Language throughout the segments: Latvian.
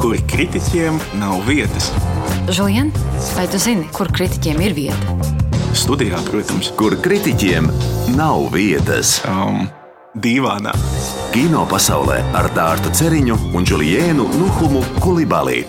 kur kritiķiem nav vietas. Žulien, vai tu zini, kur kritiķiem ir vieta? Studijā, protams. Kur kritiķiem nav vietas. Dīvānā. Kino pasaulē ar Dārtu Ceriņu un Juliēnu Nuhumu Kulibali.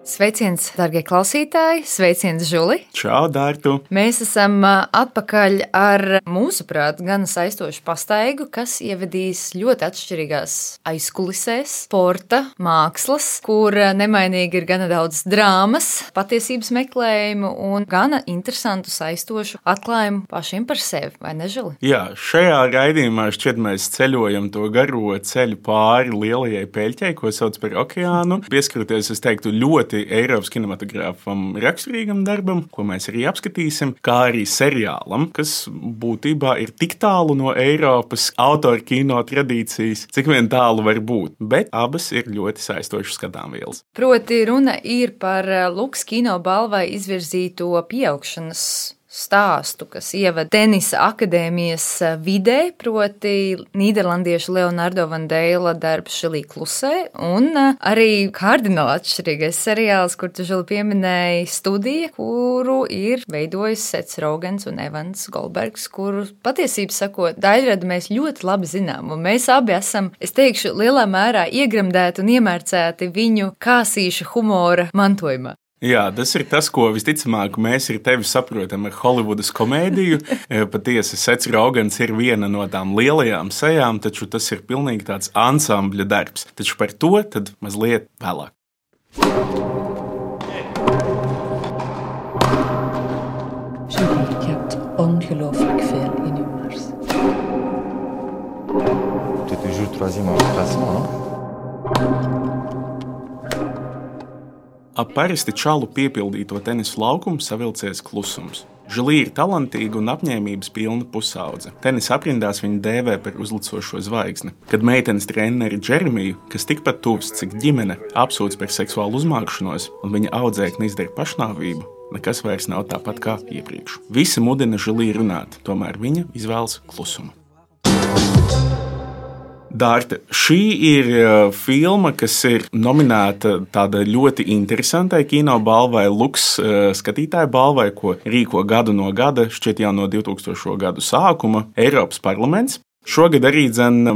Sveiciens, darbie klausītāji! Sveiciens, Žuli! Čau, Dārtu! Mēs esam atpakaļ ar, mūsuprāt, gan saistošu pastaigu, kas ievedīs ļoti atšķirīgās aizkulisēs, sporta, mākslas, kur nemainīgi ir gana daudz drāmas, patiesības meklējumu un gana interesantu saistošu atklājumu pašiem par sevi, vai ne, Žuli? Jā, šajā raidījumā šķiet mēs ceļojam to garo ceļu pāri lielajai peļķei, ko sauc par okeānu. Pieskaroties, es teiktu, ļoti Eiropas kinematogrāfam raksturīgam darbam, ko mēs arī apskatīsim, kā arī seriālam, kas būtībā ir tik tālu no Eiropas autora kino tradīcijas, cik vien tālu var būt, bet abas ir ļoti saistošas skatāmvielas. Proti runa ir par Luks kino balvai izvirzīto pieaugšanas stāstu, kas ievada tenisa akadēmijas vidē, proti nīderlandiešu Leonardo van Deila darbs Žilī klusē, un arī kardināli atšķirīgais seriāls, kur tu, Žili, pieminēji Studija, kuru ir veidojis Sets Rogens un Evans Goldbergs, kuru patiesībā sakot, daļradu mēs ļoti labi zinām, un mēs abi esam, es teikšu, lielā mērā iegremdēti un iemērcēti viņu kāsīša humora mantojumā. Jā, tas ir tas, ko visticamāk mēs ar tevi saprotam ar Holivudas komēdiju. Patiesi, Sets Rogens ir viena no tām lielajām sejām, taču tas ir pilnīgi tāds ansambļa darbs. Taču par to tad mazliet vēlāk. Julie, je hebt ongelooflijk veel in je mars. Tu es toujours troisième en classement, non? Ap parasti čalu piepildīto tenisu laukumu savilcies klusums. Žilī ir talantīga un apņēmības pilna pusaudze. Tenisa aprindās viņu dēvē par uzlicošo zvaigzni. Kad meitenes treneri Džeremiju, kas tikpat tuvs, cik ģimene, apsūdz par seksuālu uzmākšanos un viņa audzēkne izdara pašnāvību, nekas vairs nav tāpat kā iepriekš. Visi mudina Žilī runāt, tomēr viņa izvēlas klusumu. Dārta, šī ir filma, kas ir nominēta tāda ļoti interesantai kino balvai, Luks skatītāju balvai, ko rīko gadu no gada, šķiet jau no 2000. Gadu sākuma, Eiropas parlaments. Šogad arī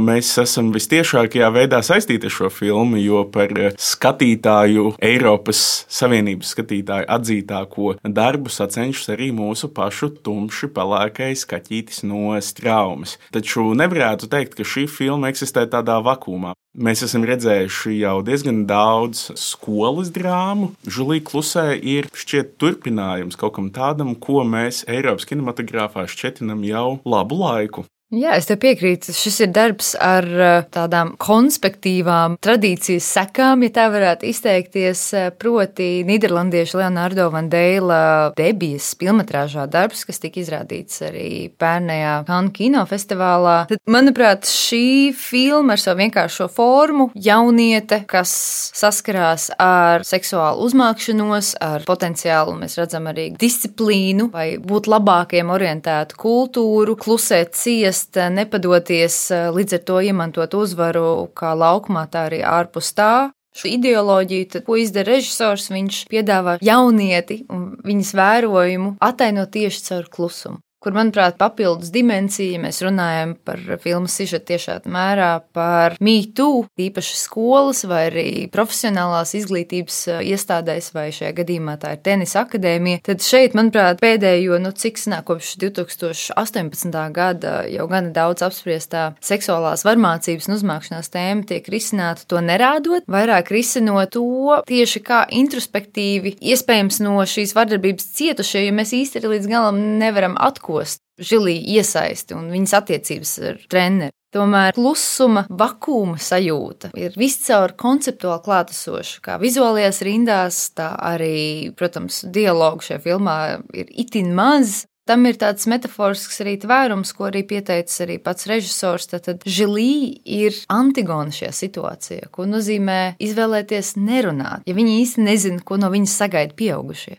mēs esam vistiešākajā veidā saistīti ar šo filmu, jo par skatītāju, Eiropas Savienības skatītāju atzītāko darbu sacenšas arī mūsu pašu tumši pelēkais kaķītis no Straumes. Taču nevarētu teikt, ka šī filma eksistē tādā vakumā. Mēs esam redzējuši jau diezgan daudz skolas drāmu. Žilī klusē ir šķiet turpinājums kaut kam tādam, ko mēs Eiropas kinematogrāfā šķetinam jau labu laiku. Jā, es tev piekrītu. Šis ir darbs ar tādām konspektīvām tradīcijas sekām, ja tā varētu izteikties, proti nīderlandiešu Leonardo van Deila debijas filmetrāžā darbs, kas tika izrādīts arī pērnējā Cannes kinofestivālā. Tad, manuprāt, šī filma ar savu vienkāršo formu, jauniete, kas saskarās ar seksuālu uzmākšanos, ar potenciālu, mēs redzam arī disciplīnu vai būt labākiem orientētu kultūru, klusēt ciest, nepadoties, līdz ar to iemantot uzvaru kā laukumā, tā arī ārpus tā. Šo ideoloģiju, tad, ko izdara režisors, viņš piedāvā jaunieti un viņas vērojumu atainot tieši caur klusumu. Kur, manuprāt, papildus dimensija, mēs runājam par filmas sižetu tiešā mērā par Me Too, īpaši skolas vai arī profesionālās izglītības iestādēs, vai šajā gadījumā tā ir tenisa akadēmija, tad šeit, manuprāt, pēdējo, cik sanāk kopš 2018. Gada jau gana daudz apspriestā seksuālās varmācības un uzmākšanās tēma tiek risināta to nerādot, vairāk risinot to tieši kā introspektīvi, iespējams no šīs vardarbības cietušie, jo mēs īsti līdz galam nevaram atkost Žilī iesaisti un viņas attiecības ar treneri. Tomēr klusuma, vakuma sajūta ir viscaur konceptuāli klātesoša, kā vizuālajās rindās, tā arī, protams, dialogu šajā filmā ir itin maz. Tam ir tāds metaforisks arī tvērums, ko arī pieteicis arī pats režisors. Tad Žilī ir Antigona šajā situācijā, ko nozīmē izvēlēties nerunāt, ja viņi īsti nezina, ko no viņas sagaida pieaugušie.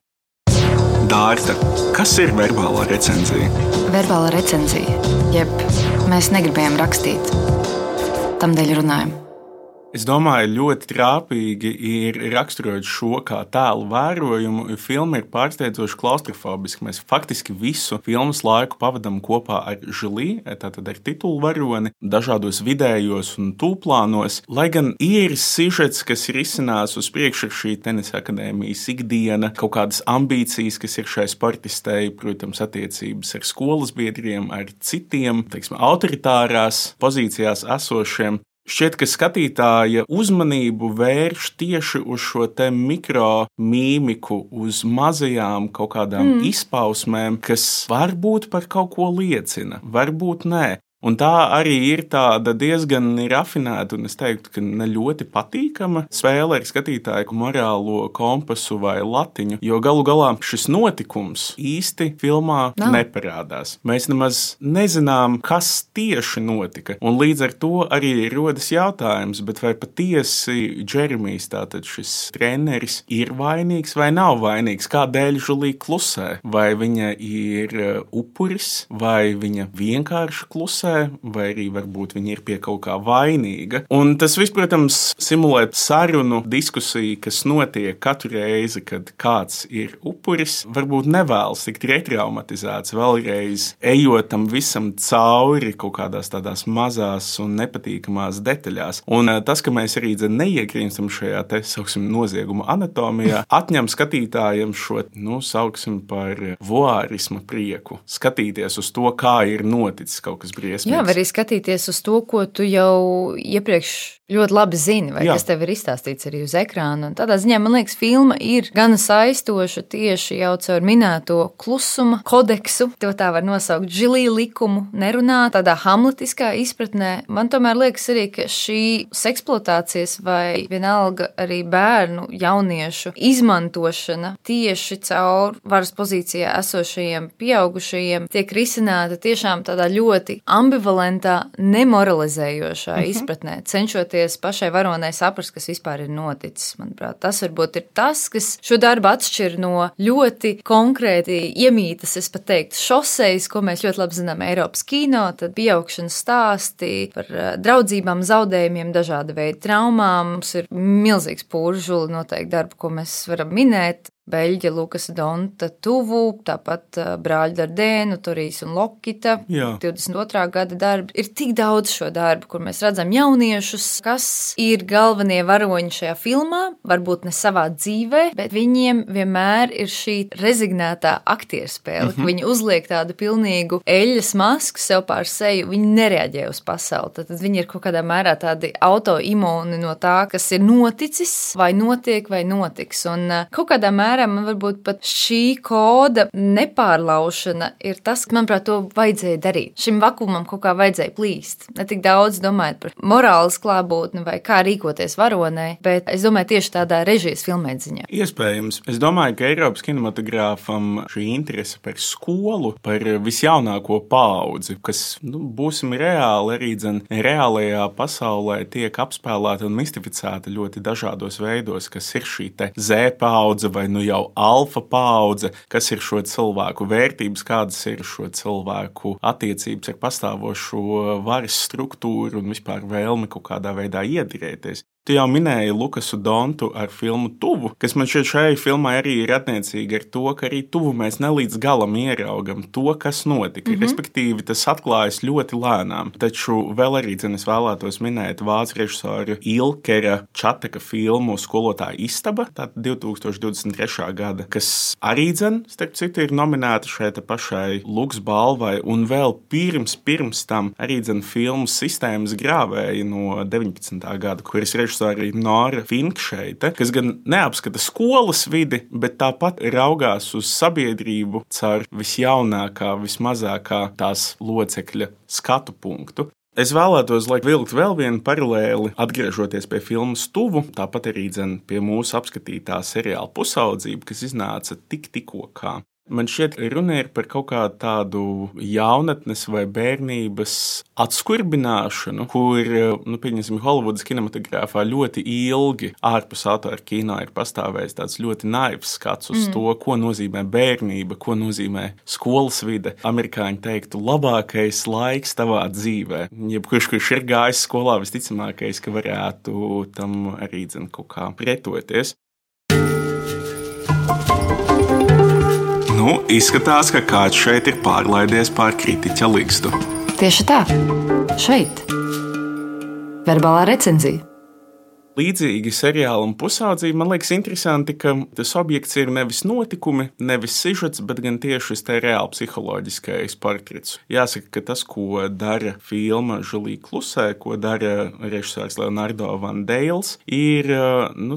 Dārta, kas ir verbālā recenzija? Verbālā recenzija, jeb mēs negribējām rakstīt, tamdēļ runājam. Es domāju, ļoti trāpīgi ir raksturot šo kā tēlu vērojumu, jo filma ir pārsteidzoši klaustrofobiska. Mēs faktiski visu filmas laiku pavadām kopā ar Žulī, tātad ar titulvaroni, dažādos vidējos un tūplānos. Lai gan ir sižets, kas ir izcinās uz priekšu ar šī tenisa akadēmijas ikdiena, kaut kādas ambīcijas, kas ir šai sportistei, protams, attiecības ar skolas biedriem, ar citiem, teiksim, autoritārās pozīcijās esošiem. Šķiet, ka skatītāja uzmanību vērš tieši uz šo te mikromīmiku, uz mazajām kaut kādām izpausmēm, kas varbūt par kaut ko liecina, varbūt nē. Un tā arī ir tāda diezgan rafinēta un es teiktu, ka ne ļoti patīkama spēle ar skatītāju morālo kompasu vai latiņu, jo galu galā šis notikums īsti filmā neparādās. Mēs nemaz nezinām, kas tieši notika, un līdz ar to arī rodas jautājums, bet vai patiesi Džeremijs, tātad šis treneris, ir vainīgs vai nav vainīgs, kādēļ Žulī klusē, vai viņa ir upuris, vai viņa vienkārši klusē, vai arī varbūt viņa ir pie kaut kā vainīga. Un tas viss, protams, simulē sarunu, diskusiju, kas notiek katru reizi, kad kāds ir upuris, varbūt nevēlas tikt retraumatizēts vēlreiz, ejot tam visam cauri kaut kādās tādās mazās un nepatīkamās detaļās. Un tas, ka mēs arī neiegrimstam šajā te, sauksim, nozieguma anatomijā, atņem skatītājiem šo, sauksim par voārisma prieku. Skatīties uz to, kā ir noticis kaut kas briesmīgs. Jā, var arī skatīties uz to, ko tu jau iepriekš ļoti labi zini, vai kas tev ir izstāstīts arī uz ekrāna. Un tādā ziņā, man liekas, filma ir gana saistoša tieši jau caur minēto klusuma kodeksu, to tā var nosaukt Žulī likumu, nerunā tādā hamletiskā izpratnē. Man tomēr liekas arī, ka šī seksploatācijas vai vienalga arī bērnu jauniešu izmantošana tieši caur varas pozīcijā esošajiem pieaugušajiem tiek risināta tiešām tādā ļoti ambivalentā, nemoralizējošā izpratnē, cenšoties pašai varonai saprast, kas vispār ir noticis. Manuprāt, tas varbūt ir tas, kas šo darbu atšķir no ļoti konkrēti iemītas, es pat teiktu, šosejas, ko mēs ļoti labi zinām Eiropas kino, tad pieaugšanas stāsti par draudzībām, zaudējumiem, dažāda veida traumām. Mums ir milzīgs pūrs Žuli noteikti darbu, ko mēs varam minēt. Beļģa, Lukasa Donta tuvu, tāpat brāļi Dardēnu, Torijas un Lokita, 22. gada darbi. Ir tik daudz šo darbu, kur mēs redzam jauniešus, kas ir galvenie varoņi šajā filmā, varbūt ne savā dzīvē, bet viņiem vienmēr ir šī rezignētā aktierspēle, ka viņi uzliek tādu pilnīgu eļļas masku sev pār seju, viņi nereaģē uz pasauli. Tad viņi ir kaut kādā mērā tādi autoimūni no tā, kas ir noticis, vai notiek, vai notiks. Un kaut kādā mērā man varbūt pat šī koda nepārlaušana ir tas, ka, manuprāt, to vajadzēja darīt. Šim vakumam kaut kā vajadzēja plīst. Ne tik daudz domājot par morāles klātbūtni vai kā rīkoties varonai, bet es domāju tieši tādā režijas filmēdziņā. Iespējams. Es domāju, ka Eiropas kinematogrāfam šī interese par skolu, par visjaunāko paudzi, kas, būsim reāli, arī reālajā pasaulē tiek apspēlēta un mistificēta ļoti dažādos veidos, kas ir šī te Z paudze vai jau alfa paudze, kas ir šo cilvēku vērtības, kādas ir šo cilvēku attiecības ar pastāvošo varas struktūru un vispār vēlmi kaut kādā veidā iedirēties. Tu jau minēji Lukasu Dontu ar filmu Tuvu, kas man šeit šai filmai arī ir attiecīgi ar to, ka arī tuvu mēs nelīdz galam ieraugam to, kas notika. Respektīvi, tas atklājas ļoti lēnām. Taču vēl arī, es vēlētos minēt vācu režisoru Ilkera Čateka filmu Skolotāja istaba, tātad 2023. gada, kas arī, starp citu, ir nominēta šeit pašai Luks balvai, un vēl pirms tam arī filmu Sistēmas grāvēji no 19. gada, kuras režisori Nora Finkšeite, kas gan neapskata skolas vidi, bet tāpat raugās uz sabiedrību caur visjaunākā, vismazākā tās locekļa skatu punktu. Es vēlētos vilkt vēl vienu paralēli, atgriežoties pie filmas Tuvu, tāpat arī pie mūsu apskatītā seriāla Pusaudzība, kas iznāca tikko kā. Man šķiet, runa ir par kaut kādu tādu jaunatnes vai bērnības atskurbināšanu, kur, pieņemsim, Holivudas kinematogrāfā ļoti ilgi ārpus autora kino ir pastāvējis tāds ļoti naivs skats uz to, ko nozīmē bērnība, ko nozīmē skolas vide. Amerikāņi teiktu, labākais laiks tavā dzīvē. Jebkurš, kurš ir gājis skolā, visticamākais, ka varētu tam arī kaut kā pretoties. Izskatās, ka kāds šeit ir pārlaidies pār kritiķa ligzdu. Tieši tā. Šeit. Verbālā recenzija. Līdzīgi seriālam Pusaudzība, man liekas interesanti, ka tas objekts ir nevis notikumi, nevis sižets, bet gan tieši šis te reāli psiholoģiskais portrets. Jāsaka, ka tas, ko dara filma Žulija klusē, ko dara režisors Leonardo Van Dales, ir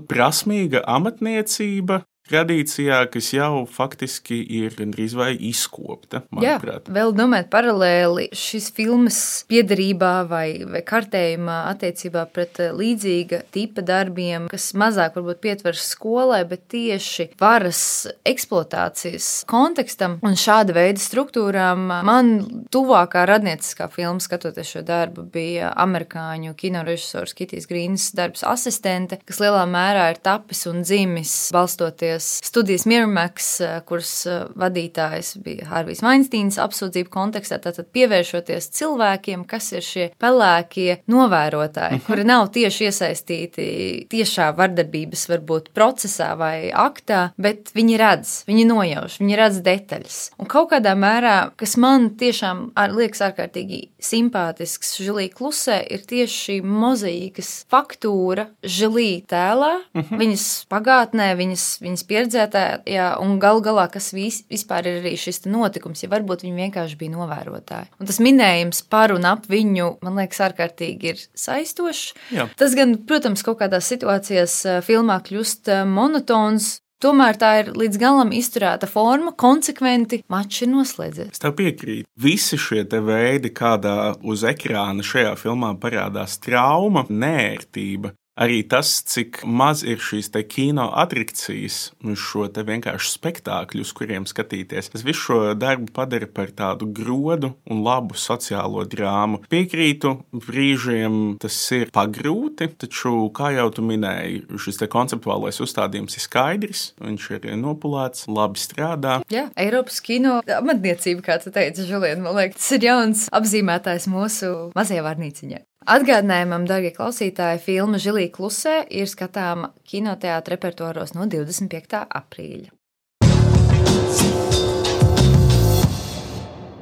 prasmīga amatniecība, tradīcijā, kas jau faktiski ir gandrīz vai izkopta, manuprāt. Jā, vēl domājot paralēli šīs filmas piederībā vai kartējumā attiecībā pret līdzīga tipa darbiem, kas mazāk varbūt pietvers skolai, bet tieši varas eksploatācijas kontekstam un šāda veida struktūrām man tuvākā radnieciskā filma, skatoties šo darbu, bija amerikāņu kinorežisors Kitijs Grīns darbs Asistente, kas lielā mērā ir tapis un dzimis balstoties studijas Miramax, kuras vadītājs bija Harvijs Vainsteins apsūdzību kontekstā, tātad pievēršoties cilvēkiem, kas ir šie pelēkie novērotāji, kuri nav tieši iesaistīti tiešā vardarbības varbūt procesā vai aktā, bet viņi redz, viņi nojauš, viņi redz detaļas. Un kaut kādā mērā, kas man tiešām liekas ārkārtīgi simpātisks Žulija klusē, ir tieši šī mozaīkas faktūra Žulija tēlā, viņas pagātnē, viņas pieredzētājā un galā, kas vispār ir arī šis notikums, ja varbūt viņi vienkārši bija novērotāji. Un tas minējums par un ap viņu, man liekas, ārkārtīgi ir saistošs. Jā. Tas gan, protams, kaut kādās situācijās filmā kļūst monotons, tomēr tā ir līdz galam izturēta forma, konsekventi mačs ir noslēdzies. Es tev piekrītu. Visi šie te veidi, kādā uz ekrāna šajā filmā parādās trauma, nērtība, arī tas, cik maz ir šīs te kino atrakcijas uz šo te vienkārši spektākļu, uz kuriem skatīties. Tas visu šo darbu padara par tādu grodu un labu sociālo drāmu. Piekrītu, brīžiem tas ir pagrūti, taču, kā jau tu minēji, šis te konceptuālais uzstādījums ir skaidrs, viņš ir nopulēts, labi strādā. Jā, Eiropas kino amatniecība, kā tu teici, Žulien, man liekas, tas ir jauns apzīmētājs mūsu mazajā vārnīciņā. Atgādinājumam, darbie klausītāji, filma Žulija klusē ir skatāma kinoteātra repertuāros no 25. aprīļa.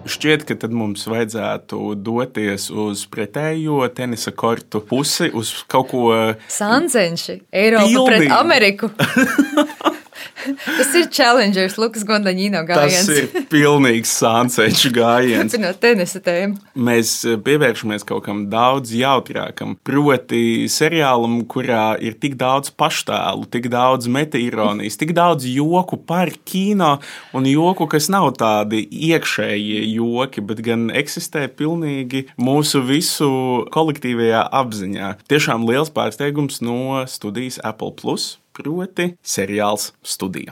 Šķiet, ka tad mums vajadzētu doties uz pretējo tenisa kortu pusi, uz kaut ko Sancenši, Eiropa pret Ameriku. Tas ir Challengers, Lukas Gondaņino gājiens. Tas ir pilnīgs Sancenšu gājiens. Turpinot tenisa tēmu. Mēs pievēršamies kaut kam daudz jautrākam, proti seriālam, kurā ir tik daudz paštēlu, tik daudz metaironijas, tik daudz joku par kino un joku, kas nav tādi iekšējie joki, bet gan eksistē pilnīgi mūsu visu kolektīvajā apziņā. Tiešām liels pārsteigums no studijas Apple Plus. Proti seriāls Studija.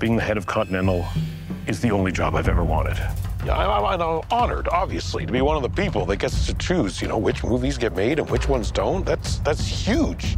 Being the head of Continental is the only job I've ever wanted. Yeah, I'm honored, obviously, to be one of the people that gets to choose, which movies get made and which ones don't. That's huge.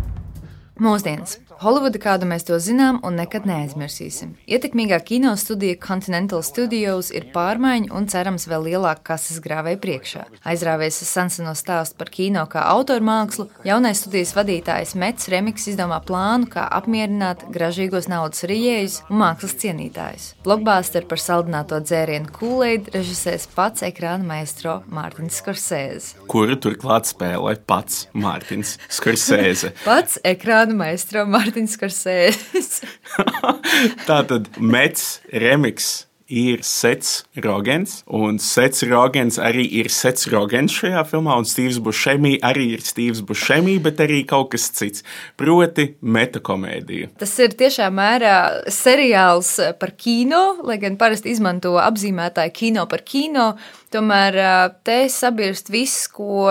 Mūsdienas. Holivuda, kādu mēs to zinām un nekad neaizmirsīsim. Ietekmīgā kino studija Continental Studios ir pārmaiņu un cerams vēl lielāka kases grāvēja priekšā. Aizrāvies senseno stāstu par kino kā autormākslu, jaunais studijas vadītājs Mets Remiks izdomā plānu, kā apmierināt gražīgos naudas rijējus un mākslas cienītājus. Blockbuster par saldināto dzērienu Kool-Aid režisēs pats ekrāna maestro Mārtiņš Skorsēze. Kuru turklāt spēlē pats Mārtiņš Skorsēze. Pats ekrāna maestro Mārtiņš Skorsēze. Tātad Mets Remiks ir Sets Rogens, un Sets Rogens arī ir Sets Rogens šajā filmā, un Steve's Buscemi arī ir Steve's Buscemi, bet arī kaut kas cits, proti metakomēdija. Tas ir tiešām mērā seriāls par kino, lai gan parasti izmanto apzīmētāju kino par kino, Tomēr te sabirst viss, ko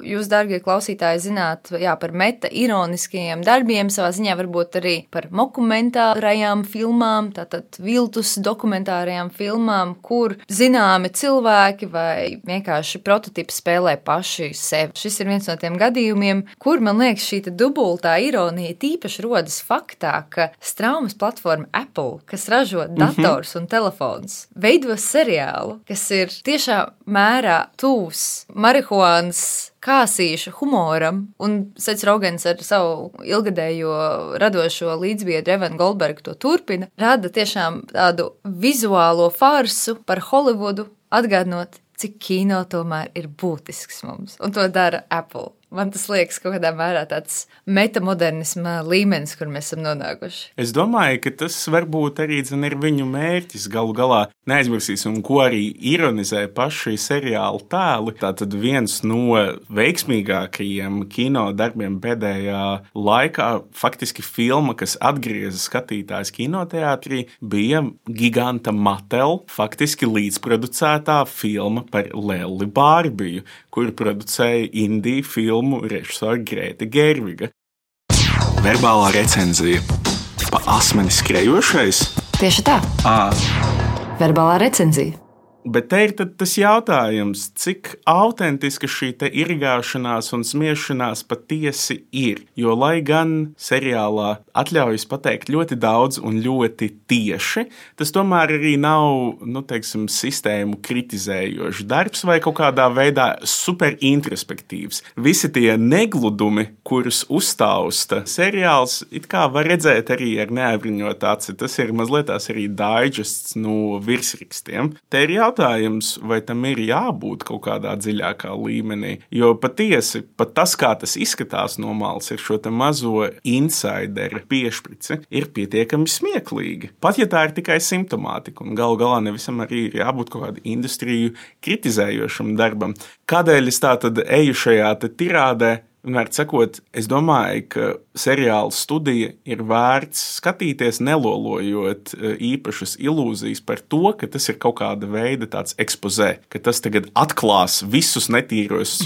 jūs, dārgie klausītāji, zināt par meta-ironiskajiem darbiem, savā ziņā varbūt arī par dokumentārajām filmām, tātad viltus dokumentārajām filmām, kur zināmi cilvēki vai vienkārši prototipi spēlē paši sevi. Šis ir viens no tiem gadījumiem, kur, man liekas, šī dubultā ironija tīpaši rodas faktā, ka straumes platforma Apple, kas ražo dators un telefons, veido seriālu, kas ir tiešā mērā tūs marihuānas kāsīšu humoram, un Sets Rogens ar savu ilgadējo radošo līdzbiedru Evanu Goldbergu to turpina, rada tiešām tādu vizuālo farsu par Holivudu, atgādinot, cik kino tomēr ir būtisks mums, un to dara Apple. Man tas liekas kaut kādā mērā tāds metamodernisma līmenis, kur mēs esam nonākuši. Es domāju, ka tas varbūt arī ir viņu mērķis. Galu galā neaizmirsīsim, ko arī ironizē paši seriāla tēli. Tātad viens no veiksmīgākajiem kino darbiem pēdējā laikā, faktiski filma, kas atgrieza skatītājs kinoteātrī, bija giganta Mattel, faktiski līdzproducētā filma par Lelli Bārbiju, kur producēja indiju filmu režisora Grēta Gerviga. Verbālā recenzija. Pa asmeni skrejošais? Tieši tā. Verbālā recenzija. Bet te ir tas jautājums, cik autentiska šī irgāšanās un smiešanās patiesi ir. Jo, lai gan seriālā atļaujas pateikt ļoti daudz un ļoti tieši, tas tomēr arī nav, sistēmu kritizējošs darbs vai kaut kādā veidā superintrospektīvs. Visi tie negludumi, kurus uztausta seriāls, it kā var redzēt arī ar neabriņot aci. Tas ir mazliet tās arī daiģests no virsrakstiem. Te ir jautājums, vai tam ir jābūt kaut kādā dziļākā līmenī, jo patiesi, pat tas, kā tas izskatās no malas, ir šo te mazo insideru piešprici, ir pietiekami smieklīgi. Pat ja tā ir tikai simptomātika, un galu galā nevisam arī ir jābūt kaut kādu industriju kritizējošam darbam. Kādēļ es tā tad eju šajā te tirādē? Vienmēr sakot, es domāju, ka seriāla studija ir vērts skatīties, nelolojot īpašas ilūzijas par to, ka tas ir kaut kāda veida tāds ekspozē, ka tas tagad atklās visus netīros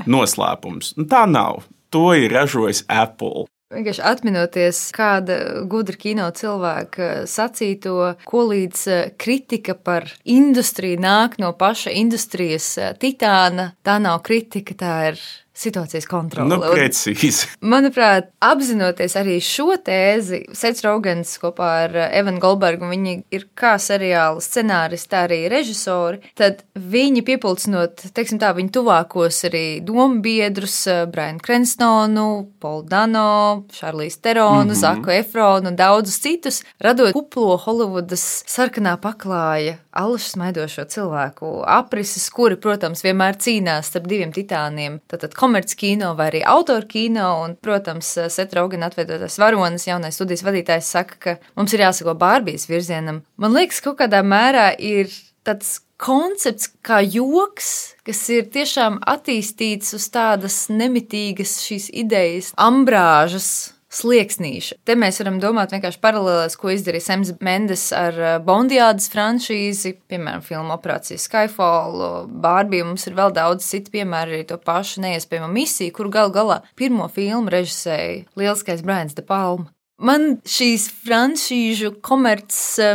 noslēpumus. Tā nav. To ir ražojis Apple. Vienkārši atminoties kāda gudra kino cilvēka sacīto, ko līdz kritika par industriju nāk no paša industrijas titāna, tā nav kritika, tā ir situācijas kontrole. Precīzi. Manuprāt, apzinoties arī šo tēzi, Sets Rogens kopā ar Evanu Goldbergu, viņi ir kā seriāla scenāristi, tā arī režisori, tad viņi piepulcinot, viņu tuvākos arī dombiedrus, Brianu Cranstonu, Paulu Dano, Šarlīzu Teronu, Zaku Efronu un daudzus citus, radot kuplo Holivudas sarkanā paklāja allašas maidošo cilvēku aprises, kuri, protams, vienmēr cīnās starp diviem titāniem, tātad komerckino vai arī autorkino, un, protams, Seta Rogena atveidotais varonis, jaunais studijas vadītājs saka, ka mums ir jāsako Bārbijas virzienam. Man liekas, kaut kādā mērā ir tāds koncepts kā joks, kas ir tiešām attīstīts uz tādas nemitīgas šīs idejas ambrāžas slieksnīša. Te mēs varam domāt vienkārši paralēlēs, ko izdarīja Sams Mendes ar Bondiādas franšīzi, piemēram, filmu Operācija Skyfall, Bārbija, mums ir vēl daudz citu piemēru, arī to pašu neiespējamo misiju, kuru galu galā pirmo filmu režisēja lieliskais Brians De Palma. Man šīs franšīžu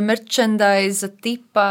merchandise tipa,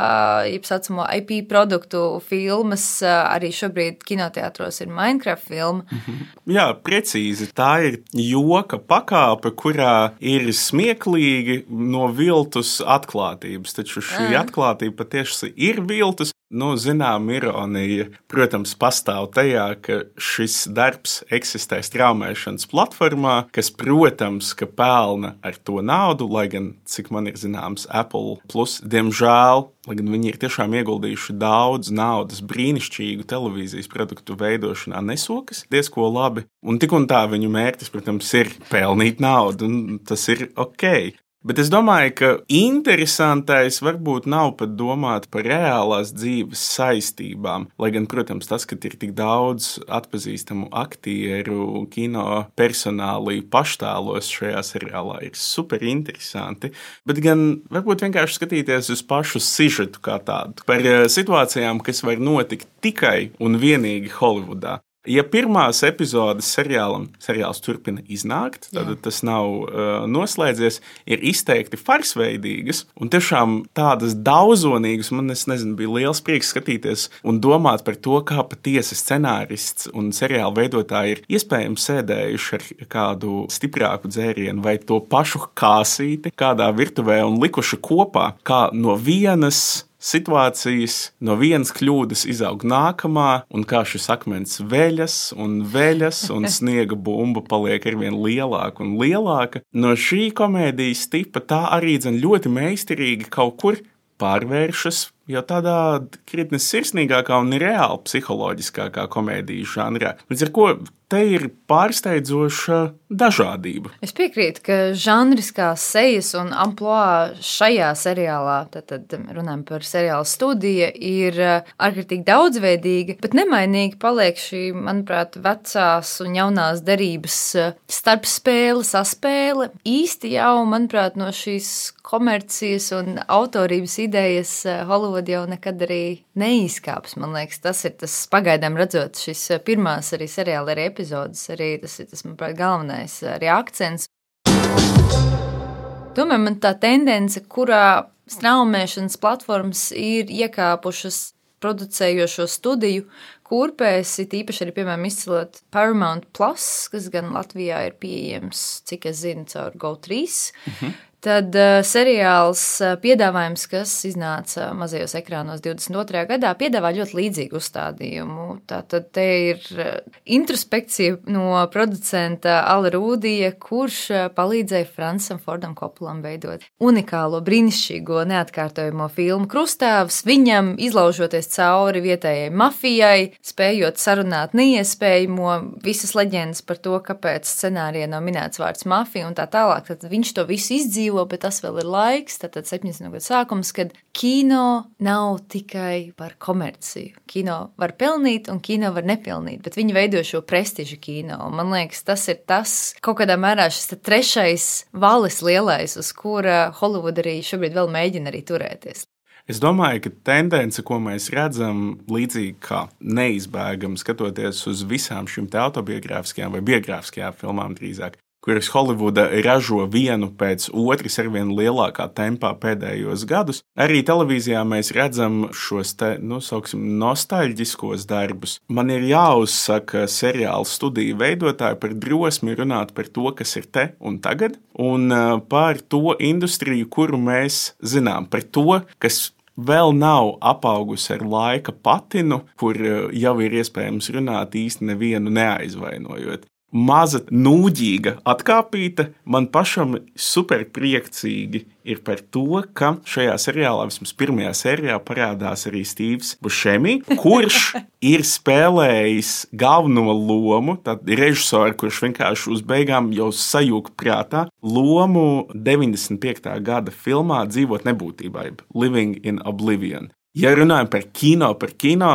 jeb saucamo IP produktu filmas, arī šobrīd kinoteātros ir Minecraft filma. Jā, precīzi. Tā ir joka pakāpe, kurā ir smieklīgi no viltus atklātības, taču šī atklātība patiesi ir viltus. Zinām, ironija, protams, pastāv tajā, ka šis darbs eksistē straumēšanas platformā, kas, protams, ka pelna ar to naudu, lai gan, cik man ir zināms, Apple Plus, diemžēl, lai gan viņi ir tiešām ieguldījuši daudz naudas brīnišķīgu televīzijas produktu veidošanā, nesokas diezko labi. Un tik un tā viņu mērķis, protams, ir pelnīt naudu, un tas ir ok. Bet es domāju, ka interesantais varbūt nav pat domāt par reālās dzīves saistībām. Lai gan, protams, tas, ka ir tik daudz atpazīstamu aktieru, kino personāli paštēlos šajā seriālā, ir super interesanti. Bet gan varbūt vienkārši skatīties uz pašu sižetu kā tādu. Par situācijām, kas var notikt tikai un vienīgi Holivudā. Ja pirmās epizodes seriāls turpina iznākt, tad tas nav noslēdzies, ir izteikti farsveidīgas un tiešām tādas daudzonīgas. Man, bija liels prieks skatīties un domāt par to, kā patiesi scenārists un seriāla veidotāji ir iespējams sēdējuši ar kādu stiprāku dzērienu vai to pašu kāsīti kādā virtuvē un likuši kopā, kā no vienas situācijas, no vienas kļūdas izaug nākamā, un kā šis akmens veļas un sniega bumba paliek arvien lielāka un lielāka. No šī komēdijas tipa tā arī ļoti meistarīgi kaut kur pārvēršas jau tādā krietni sirsnīgākā un reāli psiholoģiskākā komēdijas žanrā. Līdz ar ko te ir pārsteidzoša dažādība. Es piekrītu, ka žanriskās sejas un amplua šajā seriālā, tad runājam par seriāla Studija, ir ārkārtīgi daudzveidīga, bet nemainīgi paliek šī, manuprāt, vecās un jaunās derības starpspēle, saspēle. Īsti jau, manuprāt, no šīs komercijas un autorības idejas Hollywood jau nekad arī neizkāps. Man liekas, tas ir tas pagaidām redzot šis pirmās arī seriāla arī epizodes, arī tas ir tas, manuprāt, galvenais arī akcents. Tomēr man tā tendence, kurā straumēšanas platformas ir iekāpušas producējošo studiju kurpēs, it īpaši arī, piemēram, izcelot Paramount Plus, kas gan Latvijā ir pieejams, cik es zinu, caur GO3. Tad seriāls piedāvājums, kas iznāca mazajos ekrānos 22. gadā, piedāvā ļoti līdzīgu uzstādījumu. Tātad te ir introspekcija no producenta Ala Rūdija, kurš palīdzēja Francam Fordam Koppolam veidot unikālo, brīnišķīgo, neatkārtojamo filmu Krustāvs, viņam izlaužoties cauri vietējai mafijai, spējot sarunāt neiespējamo, visas leģendas par to, kāpēc scenārijā nav minēts vārds mafija un tā tālāk. Tad viņš to visu izdzīvo, bet tas vēl ir laiks, tātad 70. gadu sākums, kad kino nav tikai par komerciju. Kino var pelnīt un kino var nepelnīt, bet viņi veido šo prestižu kino. Man liekas, tas ir tas, kaut kādā mērā šis trešais valis lielais, uz kura Hollywood arī šobrīd vēl mēģina arī turēties. Es domāju, ka tendence, ko mēs redzam, līdzīgi kā neizbēgam skatoties uz visām šīm autobiogrāfiskajām vai biogrāfiskajām filmām drīzāk, kuras Holivuda ražo vienu pēc otras ar vien lielākā tempā pēdējos gadus. Arī televīzijā mēs redzam šos nostalģiskos darbus. Man ir jāuzsaka seriāla Studija veidotāji par drosmi runāt par to, kas ir te un tagad, un par to industriju, kuru mēs zinām, par to, kas vēl nav apaugusi ar laika patinu, kur jau ir iespējams runāt īsti nevienu neaizvainojot. Maza nūģīga atkāpīta, man pašam superpriecīgi ir par to, ka šajā seriālā, vismaz pirmajā sērijā, parādās arī Stīvs Bušemi, kurš ir spēlējis galveno lomu, tad režisori, kurš vienkārši uz beigām jau sajūg prātā, lomu 95. gada filmā Dzīvot nebūtībā, Living in Oblivion. Ja runājam par kino,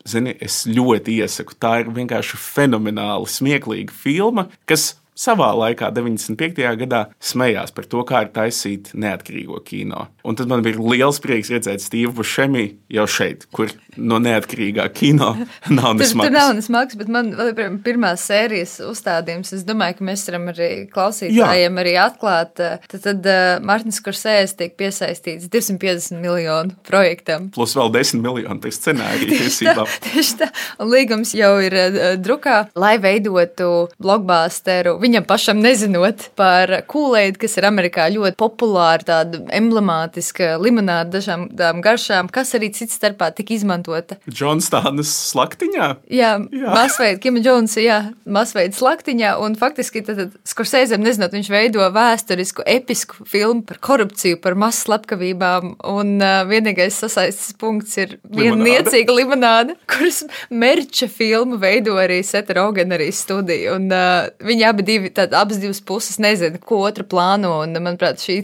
zini, es ļoti iesaku. Tā ir vienkārši fenomenāli smieklīga filma, kas savā laikā, 95. gadā, smējās par to, kā ir taisīt neatkarīgo kino. Un tad man bija liels prieks redzēt Stīvu Bušemi jau šeit, kur no neatkarīgā kino nav nesmags. Tur nav nesmags, bet man vēl pirmās sērijas uzstādījums, es domāju, ka mēs varam arī klausītājiem arī atklāt. Tad Martins Skorsēze tiek piesaistīts 250 miljonu projektam. Plus vēl 10 miljonu par scenāriju tiesībām. Tieši tā. Un līgums jau ir drukā, lai veidotu blockbusteru, viņam pašam nezinot par Kool-Aid, kas ir Amerikā ļoti populāra, tāda emblemātiska limonāda dažām garšām, kas arī cits starpā tika izmantota. Johnstānas slaktiņā? Jā. Masveida, Kima Jonesa, masveida slaktiņā, un faktiski tad Skorsēzem nezinot, viņš veido vēsturisku, episku filmu par korupciju, par masu slepkavībām, un vienīgais sasaistes punkts ir viena niecīga limonāda, kuras merča filmu veido arī Seta Rogena arī studija, un viņi abi abas divas puses nezina, ko otra plāno, un, manuprāt, šī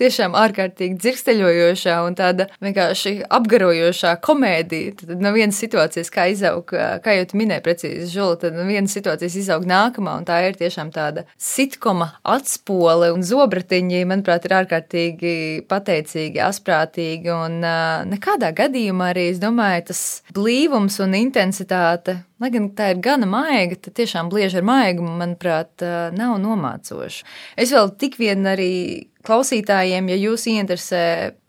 tiešām ārkārtīgi dzirksteļojošā un tāda vienkārši apgarojošā komēdija. Tad no vienas situācijas, kā izaug, kā jau tu minēji precīzi, Žula, tad no vienas situācijas izaug nākamā, un tā ir tiešām tāda sitkoma atspole, un zobratiņi, manuprāt, ir ārkārtīgi pateicīgi, asprātīgi, un nekādā gadījumā arī, es domāju, tas blīvums un intensitāte, lai gan tā ir gana maiga, tad tiešām blieži ar maigumu, manuprāt, nav nomācoša. Es vēl tik vien arī klausītājiem, ja jūs ieinteresē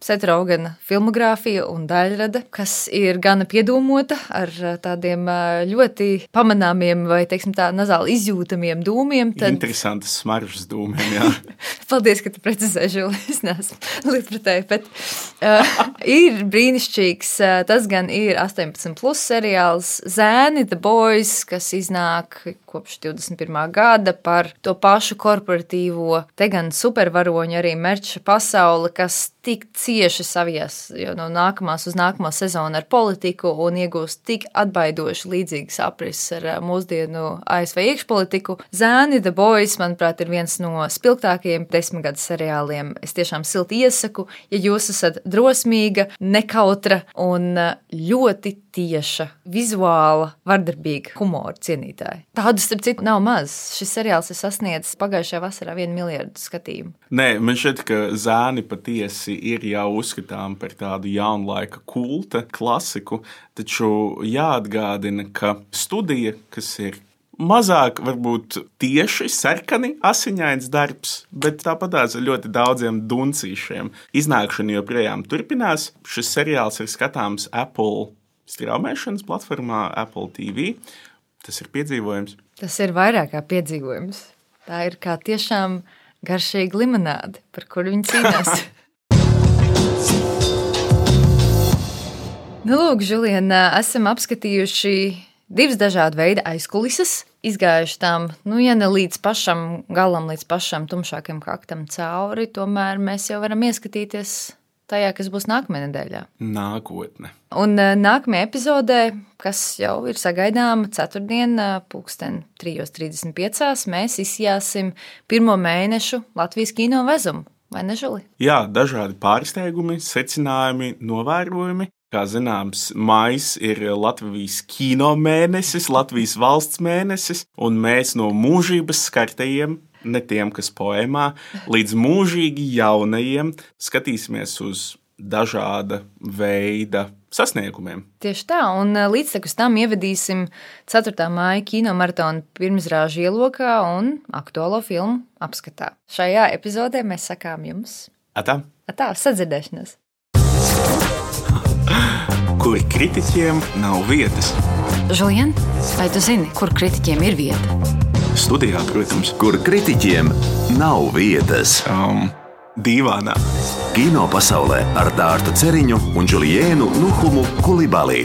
Seta Rogana filmogrāfija un daļrada, kas ir gana piedomota ar tādiem ļoti pamanāmiem vai, teiksim tā, nazāli izjūtamiem dūmiem. Tad... Interesantas smaržas dūmiem, jā. Paldies, ka tu precizēji, Žuli, es neesmu lietpratēji, bet ir brīnišķīgs, tas gan ir 18+ seriāls Zēni, The Boys, kas iznāk kopš 21. gada par to pašu korporatīvo, te gan supervaroņu arī merča pasauli, kas tik cieši savies no nākamās uz nākamo sezonu ar politiku un iegūst tik atbaidoši līdzīgas aprises ar mūsdienu ASV iekšpolitiku. Zēni, The Boys, manuprāt, ir viens no spilgtākajiem 10 gadu seriāliem. Es tiešām silti iesaku, ja jūs esat drosmīga, nekautra un ļoti tieša, vizuāla, vardarbīga humora cienītāja. Tādu, starp citu, nav maz. Šis seriāls ir sasniedzis pagājušajā vasarā 1 miljardu skatījumu. Nē, man šķiet, ka Zēni patiesi ir jau uzskatām par tādu jaunlaika kulta klasiku, taču jāatgādina, ka studija, kas ir mazāk varbūt tieši sarkani asiņains darbs, bet tāpatās ar ļoti daudziem duncīšiem. Iznākšana joprojām turpinās. Šis seriāls ir skatāms Apple straumēšanas platformā Apple TV. Tas ir piedzīvojums. Tas ir vairāk kā piedzīvojums. Tā ir kā tiešām garšīga limonāde, par kuru viņi cīnās. Nu, lūk, Žuliena, esam apskatījuši 2 dažādu veidu aizkulises, izgājuši tām, ja ne līdz pašam galam, līdz pašam tumšākam kaktam cauri, tomēr mēs jau varam ieskatīties tajā, kas būs nākamajā nedēļā. Nākotne. Un nākamajā epizodē, kas jau ir sagaidāma ceturtdien, 3:35, mēs izjāsim 1. mēnešu Latvijas kino vezumu, vai ne, Žuli? Jā, dažādi pārsteigumi, secinājumi, novērojumi. Kā zināms, maijs ir Latvijas kino mēnesis, Latvijas valsts mēnesis, un mēs no mūžības skartajiem, ne tiem, kas poēmā, līdz mūžīgi jaunajiem skatīsimies uz dažāda veida sasniegumiem. Tieši tā, un līdztekus tam ievedīsim 4. māja kino maratonu pirmizrāžu ielokā un aktuālo filmu apskatā. Šajā epizodē mēs sakām jums Atā, sadzirdēšanos. Kur kritiķiem nav vietas. Žulien, vai tu zini, kur kritiķiem ir vieta? Studijā, protams. Kur kritiķiem nav vietas. Dīvānā. Kino pasaulē ar Dārtu Ceriņu un Juliēnu Nuhumu Kulibali.